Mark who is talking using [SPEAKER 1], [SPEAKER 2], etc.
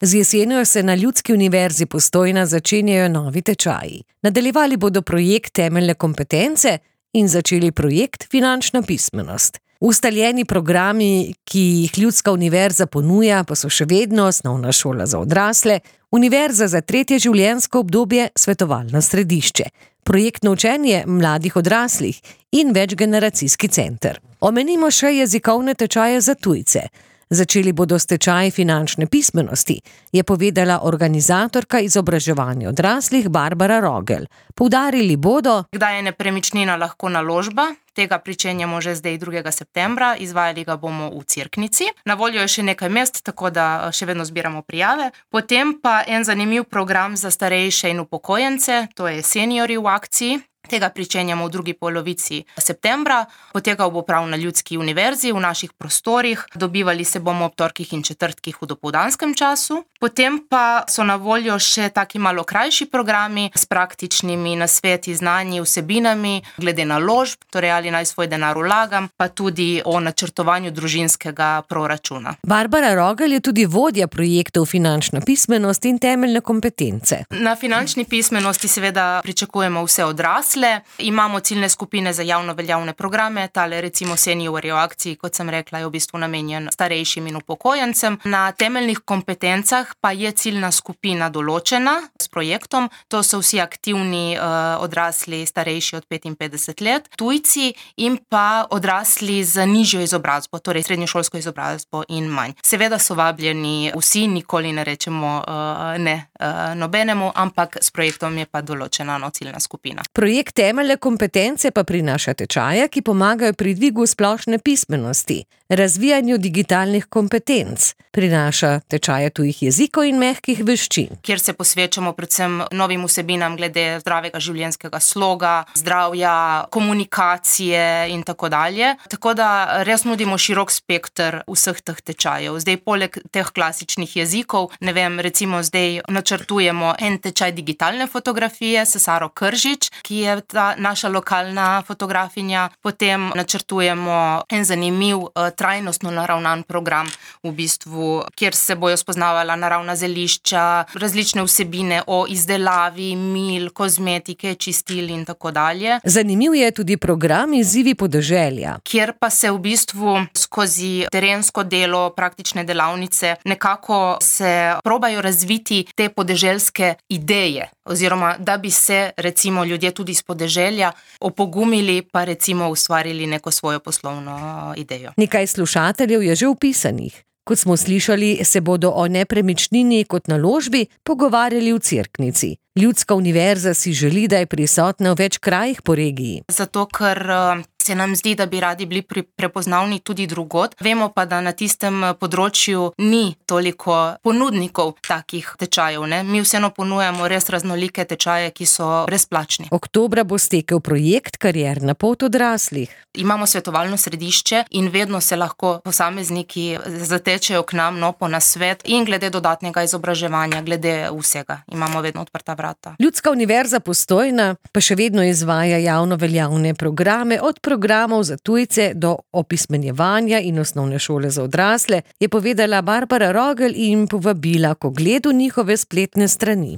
[SPEAKER 1] Z jesenjo se na Ljudski univerzi Postojna začenjajo novi tečaji. Nadaljevali bodo projekt Temeljne kompetence in začeli projekt Finančna pismenost. Ustaljeni programi, ki jih Ljudska univerza ponuja, pa so še vedno Osnovna šola za odrasle, Univerza za tretje življenjsko obdobje, svetovalno središče, projektno učenje mladih odraslih in večgeneracijski center. Omenimo še jezikovne tečaje za tujce. Začeli bodo s tečaji finančne pismenosti, je povedala organizatorka izobraževanja odraslih Barbara Rogel. Poudarili bodo,
[SPEAKER 2] kdaj je nepremičnina lahko naložba. Tega pričenjamo že zdaj 2. septembra, izvajali ga bomo v Cerknici. Na voljo je še nekaj mest, tako da še vedno zbiramo prijave. Potem pa en zanimiv program za starejše in upokojence, to je Seniori v akciji. Tega pričenjamo v drugi polovici septembra. Potekal bo prav na Ljudski univerzi, v naših prostorih. Dobivali se bomo ob torkih in četrtkih v dopoldanskem času. Potem pa so na voljo še taki malo krajši programi s praktičnimi nasveti, znanji, vsebinami, glede naložb, torej ali naj svoj denar vlagam, pa tudi o načrtovanju družinskega proračuna.
[SPEAKER 1] Barbara Rogel je tudi vodja projektov Finančna pismenost in temeljne kompetence.
[SPEAKER 2] Na finančni pismenosti seveda pričakujemo vse odrasle. Imamo ciljne skupine za javno veljavne programe, tale recimo Seniori v akciji, kot sem rekla, je v bistvu namenjen starejšim in upokojencem. Na temeljnih kompetencah pa je ciljna skupina določena s projektom. To so vsi aktivni odrasli starejši od 55 let, tujci in pa odrasli z nižjo izobrazbo, torej srednješolsko izobrazbo in manj. Seveda so vabljeni vsi, nikoli ne rečemo ne nobenemu, ampak s projektom je pa določena ciljna skupina.
[SPEAKER 1] Projekt Temeljne kompetence pa prinaša tečaje, ki pomagajo pri dvigu splošne pismenosti, razvijanju digitalnih kompetenc, prinaša tečaje tujih jezikov in mehkih veščin.
[SPEAKER 2] Kjer se posvečamo predvsem novim vsebinam glede zdravega življenjskega sloga, zdravja, komunikacije in tako dalje. Tako da res nudimo širok spekter vseh teh tečajev. Zdaj poleg teh klasičnih jezikov, recimo zdaj načrtujemo en tečaj digitalne fotografije s Saro Kržič, ki je ta naša lokalna fotografinja. Potem načrtujemo en zanimiv trajnostno naravnan program, v bistvu, kjer se bojo spoznavala naravna zelišča, različne vsebine o izdelavi, mil, kozmetike, čistil in tako dalje.
[SPEAKER 1] Zanimiv je tudi program Izzivi podeželja,
[SPEAKER 2] kjer pa se v bistvu skozi terensko delo, praktične delavnice, nekako se probajo razviti te podeželske ideje, oziroma da bi se recimo ljudje tudi iz podeželja opogumili pa recimo ustvarili neko svojo poslovno idejo.
[SPEAKER 1] Nekaj slušateljev je že vpisanih. Kot smo slišali, se bodo o nepremičnini kot naložbi pogovarjali v Cerknici. Ljudska univerza si želi, da je prisotna v več krajih po regiji.
[SPEAKER 2] Zato, ker se nam zdi, da bi radi bili prepoznavni tudi drugod. Vemo pa, da na tistem področju ni toliko ponudnikov takih tečajev. Mi vseeno ponujamo res raznolike tečaje, ki so brezplačni.
[SPEAKER 1] Oktobra bo stekel projekt Karierna pot odraslih.
[SPEAKER 2] Imamo svetovalno središče in vedno se lahko posamezniki zatečejo k nam po nasvet in glede dodatnega izobraževanja, glede vsega. Imamo vedno odprta vrata.
[SPEAKER 1] Ljudska univerza Postojna pa še vedno izvaja javno veljavne programe, od programov za tujce do opismenjevanja in osnovne šole za odrasle, je povedala Barbara Rogel in povabila k ogledu njihove spletne strani.